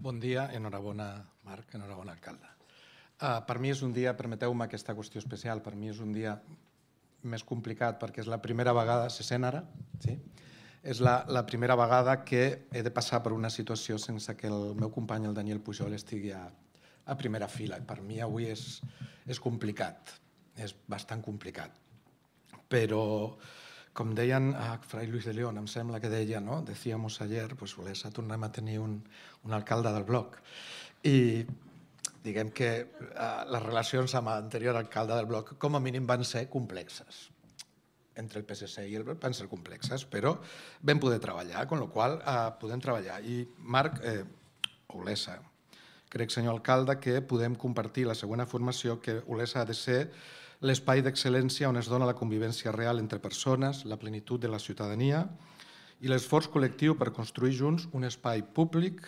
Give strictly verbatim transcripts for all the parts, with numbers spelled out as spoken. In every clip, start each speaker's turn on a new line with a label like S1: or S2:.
S1: Bon dia, enhorabona, Marc, enhorabona, alcalde. Uh, per mi és un dia, permeteu-me aquesta qüestió especial, per mi és un dia més complicat perquè és la primera vegada, se sent ara? Sí? És la, la primera vegada que he de passar per una situació sense que el meu company, el Daniel Pujol, estigui a, a primera fila. Per mi avui és, és complicat, és bastant complicat. Però, com deien a Fray Luis de León, em sembla que deia, no? Decíamos ayer, pues Olesa tornem a tenir un, un alcalde del bloc. I diguem que eh, les relacions amb l'anterior alcalde del bloc com a mínim van ser complexes. Entre el P S C i el bloc van ser complexes, però vam poder treballar, amb la qual cosa eh, podem treballar. I Marc, eh, Olesa, crec, senyor alcalde, que podem compartir la següent afirmació, que Olesa ha de ser l'espai d'excel·lència on es dona la convivència real entre persones, la plenitud de la ciutadania i l'esforç col·lectiu per construir junts un espai públic,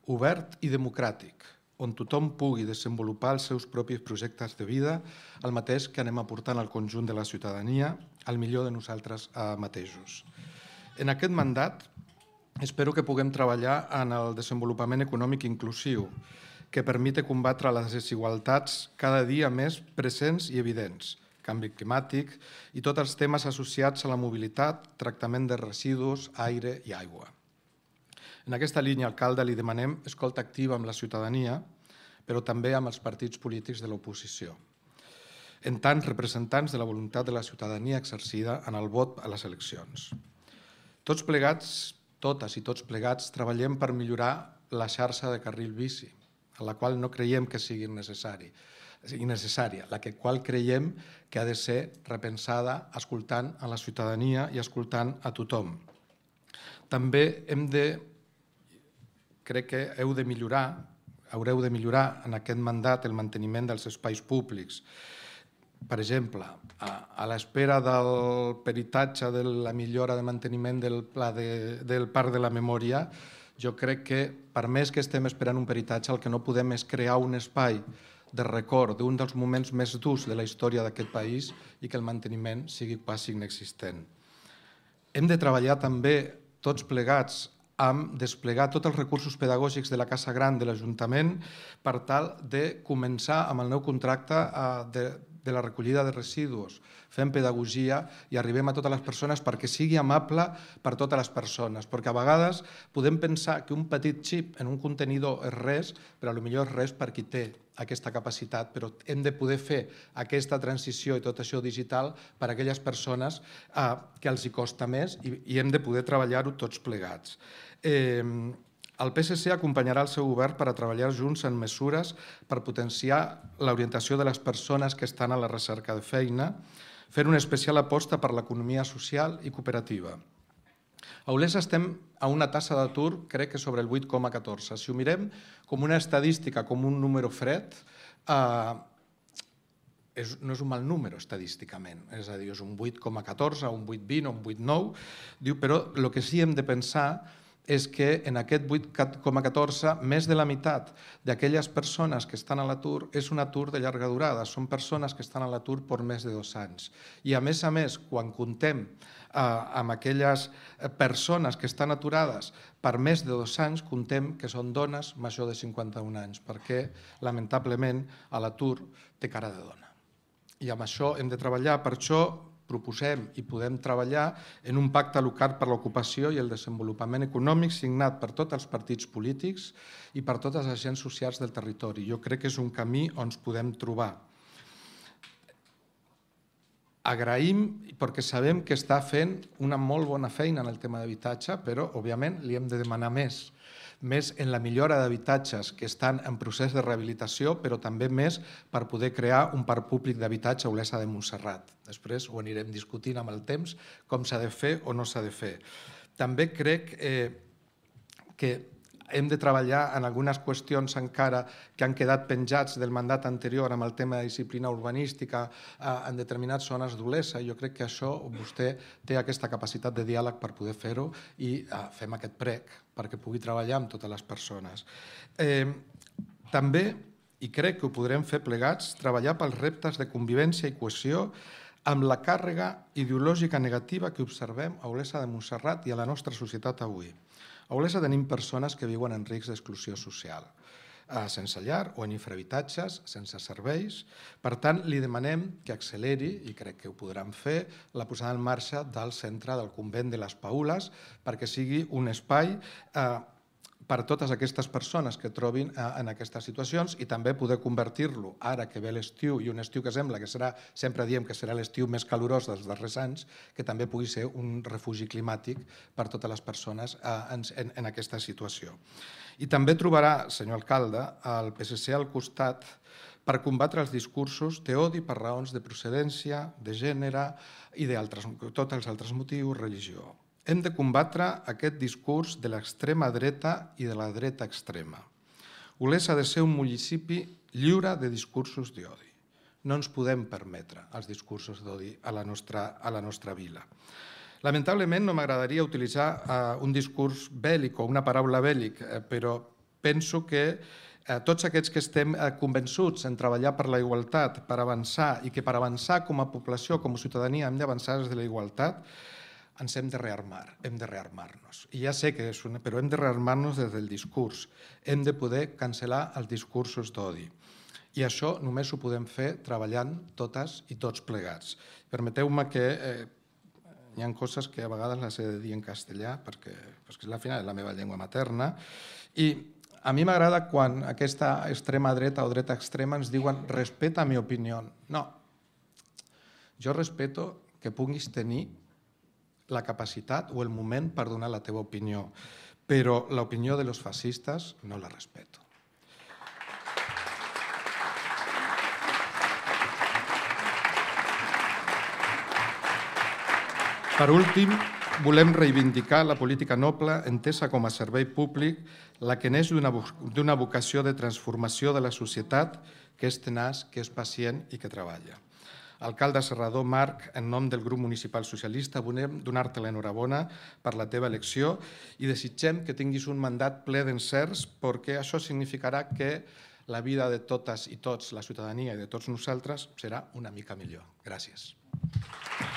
S1: obert i democràtic, on tothom pugui desenvolupar els seus propis projectes de vida, el mateix que anem aportant al conjunt de la ciutadania, al millor de nosaltres mateixos. En aquest mandat, espero que puguem treballar en el desenvolupament econòmic inclusiu, que permite combatre les desigualtats cada dia més presents i evidents, canvi climàtic i tots els temes associats a la mobilitat, tractament de residus, aire i aigua. En aquesta línia, alcalde, li demanem escolta activa amb la ciutadania, però també amb els partits polítics de l'oposició, en tant representants de la voluntat de la ciutadania exercida en el vot a les eleccions. Tots plegats, totes i tots plegats, treballem per millorar la xarxa de carril bici, a la qual no creiem que sigui necessari, innecessària, la que qual creiem que ha de ser repensada escoltant a la ciutadania i escoltant a tothom. També hem de, crec que heu de millorar, haureu de millorar en aquest mandat el manteniment dels espais públics. Per exemple, a l'espera del peritatge de la millora de manteniment del pla del Parc de la Memòria, jo crec que, per més que estem esperant un peritatge, el que no podem és crear un espai de record d'un dels moments més durs de la història d'aquest país i que el manteniment sigui quasi inexistent. Hem de treballar també tots plegats amb desplegar tots els recursos pedagògics de la Casa Gran de l'Ajuntament per tal de començar amb el nou contracte de de la recollida de residus, fem pedagogia i arribem a totes les persones perquè sigui amable per totes les persones, perquè a vegades podem pensar que un petit xip en un contenidor és res, però potser és res per qui té aquesta capacitat, però hem de poder fer aquesta transició i tot això digital per a aquelles persones que els hi costa més i hem de poder treballar-ho tots plegats. El P S C acompanyarà el seu govern per a treballar junts en mesures per potenciar l'orientació de les persones que estan a la recerca de feina, fent una especial aposta per l'economia social i cooperativa. A Olesa estem a una tassa d'atur, crec que sobre el vuit coma catorze. Si ho mirem com una estadística, com un número fred, no és un mal número estadísticament, és a dir, és un vuit coma catorze, un vuit coma vint o un vuit coma nou, però el que sí hem de pensar és que en aquest vuit coma catorze més de la meitat d'aquelles persones que estan a l'atur és un atur de llarga durada, són persones que estan a l'atur per més de dos anys. I a més a més, quan comptem amb aquelles persones que estan aturades per més de dos anys, comptem que són dones major de cinquanta-un anys, perquè lamentablement l'atur té cara de dona. I amb això hem de treballar, per això proposem i podem treballar en un pacte local per l'ocupació i el desenvolupament econòmic signat per tots els partits polítics i per totes les agents socials del territori. Jo crec que és un camí on ens podem trobar. Agraïm perquè sabem que està fent una molt bona feina en el tema d'habitatge, però, òbviament, li hem de demanar més. Més en la millora d'habitatges que estan en procés de rehabilitació, però també més per poder crear un parc públic d'habitatge a Olesa de Montserrat. Després ho anirem discutint amb el temps, com s'ha de fer o no s'ha de fer. També crec que hem de treballar en algunes qüestions encara que han quedat penjats del mandat anterior amb el tema de disciplina urbanística en determinades zones d'Olesa. Jo crec que això vostè té aquesta capacitat de diàleg per poder fer-ho i fem aquest prec perquè pugui treballar amb totes les persones. També, i crec que ho podrem fer plegats, treballar pels reptes de convivència i cohesió amb la càrrega ideològica negativa que observem a Olesa de Montserrat i a la nostra societat avui. A Olesa tenim persones que viuen en risc d'exclusió social, sense llar o en infrahabitatges, sense serveis. Per tant, li demanem que acceleri, i crec que ho podran fer, la posada en marxa del centre del convent de les Paules perquè sigui un espai per a totes aquestes persones que trobin en aquestes situacions i també poder convertir-lo, ara que ve l'estiu i un estiu que sembla que serà, sempre diem que serà l'estiu més calorós dels darrers anys, que també pugui ser un refugi climàtic per a totes les persones en aquesta situació. I també trobarà, senyor alcalde, el P S C al costat per combatre els discursos d'odi per raons de procedència, de gènere i de tots els altres motius, religió. Hem de combatre aquest discurs de l'extrema dreta i de la dreta extrema. Olesa ha de ser un municipi lliure de discursos d'odi. No ens podem permetre els discursos d'odi a la nostra vila. Lamentablement no m'agradaria utilitzar un discurs bèl·lic o una paraula bèl·lic, però penso que tots aquests que estem convençuts en treballar per la igualtat, per avançar, i que per avançar com a població, com a ciutadania, hem d'avançar des de la igualtat, ens hem de rearmar, hem de rearmar-nos. I ja sé que és una... però hem de rearmar-nos des del discurs. Hem de poder cancel·lar els discursos d'odi. I això només ho podem fer treballant totes i tots plegats. Permeteu-me que hi ha coses que a vegades les he de dir en castellà perquè al final és la meva llengua materna. I a mi m'agrada quan aquesta extrema dreta o dreta extrema ens diuen respeta mi opinió. No. Jo respeto que puguis tenir la capacitat o el moment per donar la teva opinió, però l'opinió de los fascistes no la respeto. Per últim, volem reivindicar la política noble entesa com a servei públic, la que neix d'una vocació de transformació de la societat que és tenaç, que és pacient i que treballa. Alcalde Serrador, Marc, en nom del grup municipal socialista, volem donar-te l'enhorabona per la teva elecció i desitgem que tinguis un mandat ple d'encerts perquè això significarà que la vida de totes i tots, la ciutadania i de tots nosaltres, serà una mica millor. Gràcies.